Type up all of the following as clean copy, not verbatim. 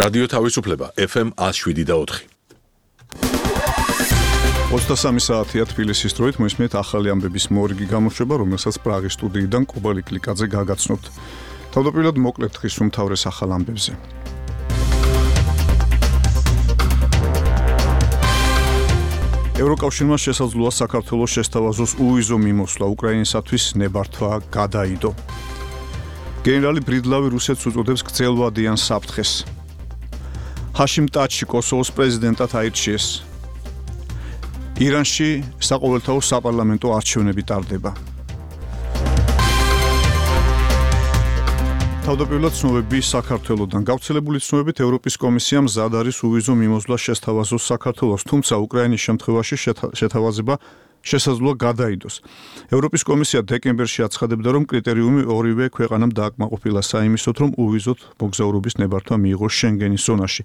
რადიო თავისუფლება FM 107.4. 23 საათია თბილისის დროით მოისმენთ ახალი ამბების მორიგი გამოშვება, რომელსაც პრაღის სტუდიიდან კუბა ლიკლიკაძე გაგაცნობთ. თავდაპირველად მოკლედ დღის უმთავრეს ახალ ამბებზე. ევროკავშირმა შესაძლოა საქართველოს შესთავაზოს უვიზო მიმოსვლა უკრაინისათვის ნებართვა გადაიდო. გენერალი ბრიდლავი რუსეთს უწოდებს გრძელვადიან საფრთხეს. ჰაშიმ ტაჩი კოსოვოს პრეზიდენტად აირჩიეს. ირანში საყოველთაო საპარლამენტო არჩევნები ტარდება. თავდაპირველად ცნობები საქართველოდან. გავრცელებული ცნობებით ევროპის კომისია მზად არის უვიზო მიმოსვლა შესთავაზოს საქართველოს, თუმცა უკრაინის შემთხვევაში შეთავაზება შესაძლოა გადაიდოს. ევროპის კომისია დეკემბერში აცხადებდა, რომ კრიტერიუმი ორივე ქვეყანამ დააკმაყოფილა საიმისოდ, რომ უვიზოდ მოგზაურობის ნებართვა მიიღოს შენგენის ზონაში.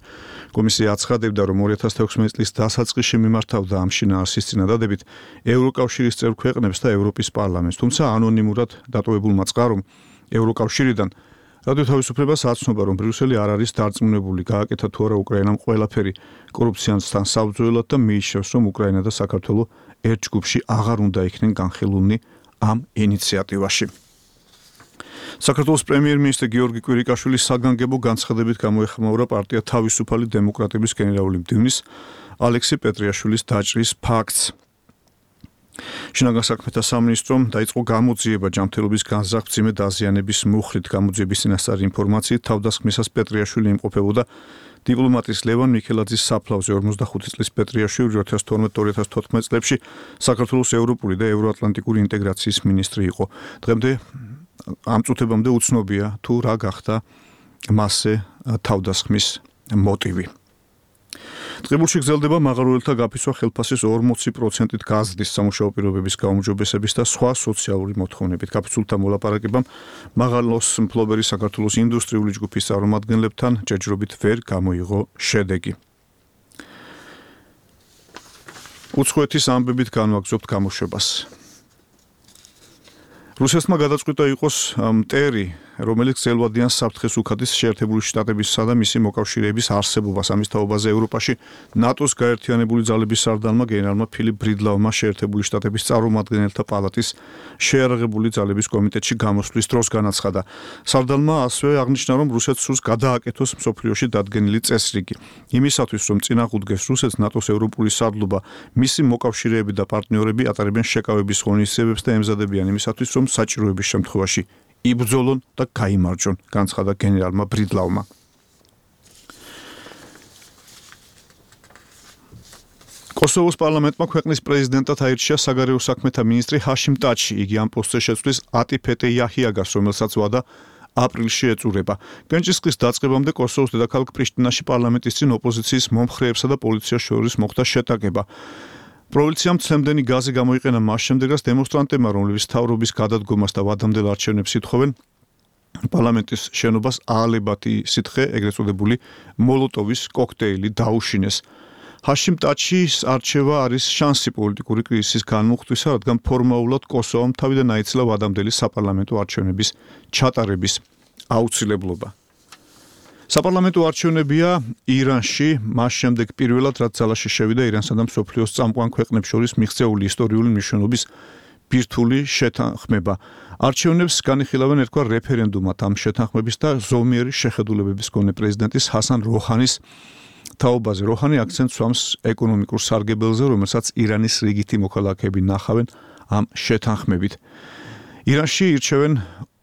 კომისია აცხადებდა, რომ 2016 წლის დასაწყისში მიმართავდა ამ შინაარსის წინადადებით ევროკავშირის წევრ ქვეყნებს და ევროპის პარლამენტს, თუმცა ანონიმურად დატოვებულმა წყარომ ევროკავშირიდან რადიო თავისუფლებას აცნობა, რომ ბრიუსელი არ არის დარწმუნებული, გააკეთა თუ არა უკრაინამ ყველაფერი კორუფციასთან საბრძოლოდ და მიიჩნევს, რომ უკრაინა და საქართველო ერთ ჯგუფში აღარ უნდა იქნენ განხილულნი ამ ინიციატივაში. საქართველოს პრემიერ-მინისტრი გიორგი კვირიკაშვილის საგანგებო განცხადებით გამოეხმაურა პარტია თავისუფალი დემოკრატების გენერალური მდივნის ალექსი პეტრიაშვილის დაჭრის ფაქტს. შინაგან საქმეთა სამინისტრომ დაიწყო გამოძიება ჯანმრთელობის განზრახ-მძიმე დაზიანების მუხლით. გამოძიების წინასწარი ინფორმაციით თავდასხმისას პეტრიაშვილი იმყოფებოდა დიპლომატის ლევან მიქელაძის საფლავზე. 45 წლის პეტრიაშვილი 2012-2014 წლებში საქართველოს ევროპული და ევროატლანტიკური ინტეგრაციის მინისტრი იყო. დღემდე ამ წუთებამდე უცნობია თუ რა გახდა მასზე თავდასხმის მოტივი. ტყიბულში გრძელდება მაღაროელთა გაფიცვა ხელფასის 40%-ით გაზრდის სამუშაო პირობების გაუმჯობესების და სხვა სოციალური მოთხოვნებით. გაფიცულთა მოლაპარაკებამ მაღალოს მფლობელი საქართველოს ინდუსტრიული ჯგუფის წარმომადგენლებთან ჯერჯერობით ვერ გამოიღო შედეგი. უცხოეთის ამბებით განვაგრძობთ გამოშვებას. რუსეთმა გადაწყვიტა იყოს მტერი, რომელიც გრძელვადიან საფრთხეს უხდის შეერთებული შტატებისა და მისი მოკავშირეების არსებობას. ამის თაობაზე ევროპაში ნატოს გაერთიანებული ძალების სარდალმა გენერალმა ფილიპ ბრიდლავმა შეერთებული შტატების წარმომადგენელთა პალატის შეიარაღებული ძალების კომიტეტში გამოსვლის დროს განაცხადა. სარდალმა ასევე აღნიშნა, რომ რუსეთს სურს გადააკეთოს მსოფლიოში დადგენილი წესრიგი. იმისათვის, რომ წინააღმდეგეს რუსეთს ნატოს ევროპული სარდლობა, მისი მოკავშირეები და პარტნიორები ატარებენ შეკავების ღონისძიებებს და ემზადებიან იმისათვის, რომ საჭიროების შემთხვევაში იბრძოლონ და გაიმარჯვონ, განცხადა გენერალმა ბრიდლავმა. კოსოვოს პარლამენტმა ქვეყნის პრეზიდენტად აირჩია საგარეო საქმეთა მინისტრი ჰაშიმ ტაჩი. იგი ამ პოსტზე შეცვლის ატიფეტე იაჰიაგას, რომელსაც ვადა აპრილში ეწურება. გენჭისყრის დაწყებამდე კოსოვოს დედაქალაქ პრიშტინაში პარლამენტის წინ ოპოზიციის მომხრეებსა და პოლიციას შორის მოხდა შეტაკება. პროვინციამ ცემდენი გაზი გამოიყენა მას შემდეგ, რაც დემონსტრანტებმა, რომლებიც მთავრობის გადადგომას და ვადამდელ არჩევნებს ითხოვენ, პარლამენტის შენობას აალებათი სითხე, ეგრეთ წოდებული მოლოტოვის კოქტეილი დაუშინეს. ჰაშიმ ტაჩის არჩევა არის შანსი პოლიტიკური კრიზისის განმუხტვისა, რადგან ფორმალურად კოსოვომ თავიდან აიცილა ვადამდელი საპარლამენტო არჩევნების ჩატარების აუცილებლობა. საპარლამენტო არჩევნებია ირანში, მას შემდეგ პირველად რაც ძალაში შევიდა ირანსა და მსოფლიოს წამყვან ქვეყნებს შორის მიღწეული ისტორიული მნიშვნელობის ბირთვული შეთანხმება. არჩევნებს განიხილავენ ერთგვარ რეფერენდუმად. ამ შეთანხმების და ზომიერი შეხედულებების მქონე პრეზიდენტის ჰასან როჰანის თაობაზე. როჰანი აქცენტს უსვამს ეკონომიკურ სარგებელზე, რომელსაც ირანის რიგითი მოქალაქეები ნახავენ ამ შეთანხმებით. ირანში ირჩევენ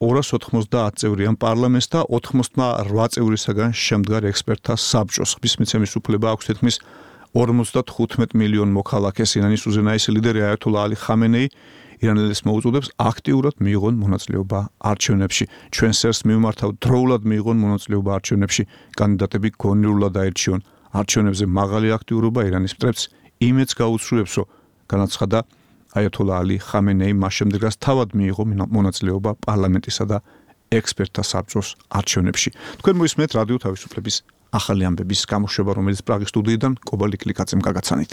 290 წევრიან პარლამენტს და 88 წევრისაგან შემდგარ ექსპერტთა საბჭოს. ხმის მიცემის უფლება აქვს თითქმის 55 მილიონ მოქალაქეს. ირანის უზენაესი ლიდერი აიათოლა ალი ხამენეი ირანელებს მოუწოდებს აქტიურად მიიღონ მონაწილეობა არჩევნებში. ჩვენ სერს მივმართავთ დროულად მიიღონ მონაწილეობა არჩევნებში. კანდიდატები გონივრულად აირჩიონ. არჩევნებზე მაღალი აქტიურობა ირანის მტრებს იმედს გაუცრუებს, რომ განაცხადა აიათოლა ალი ხამენეი მას შემდეგ, რაც თავად მიიღო მონაწილეობა პარლამენტისა და ექსპერტთა საბჭოს არჩევნებში. თქვენ მოისმენთ რადიო თავისუფლების ახალი ამბების გამოშვება, რომელიც პრაღის სტუდიიდან კუბა ლიკლიკაძემ გაგაცანით.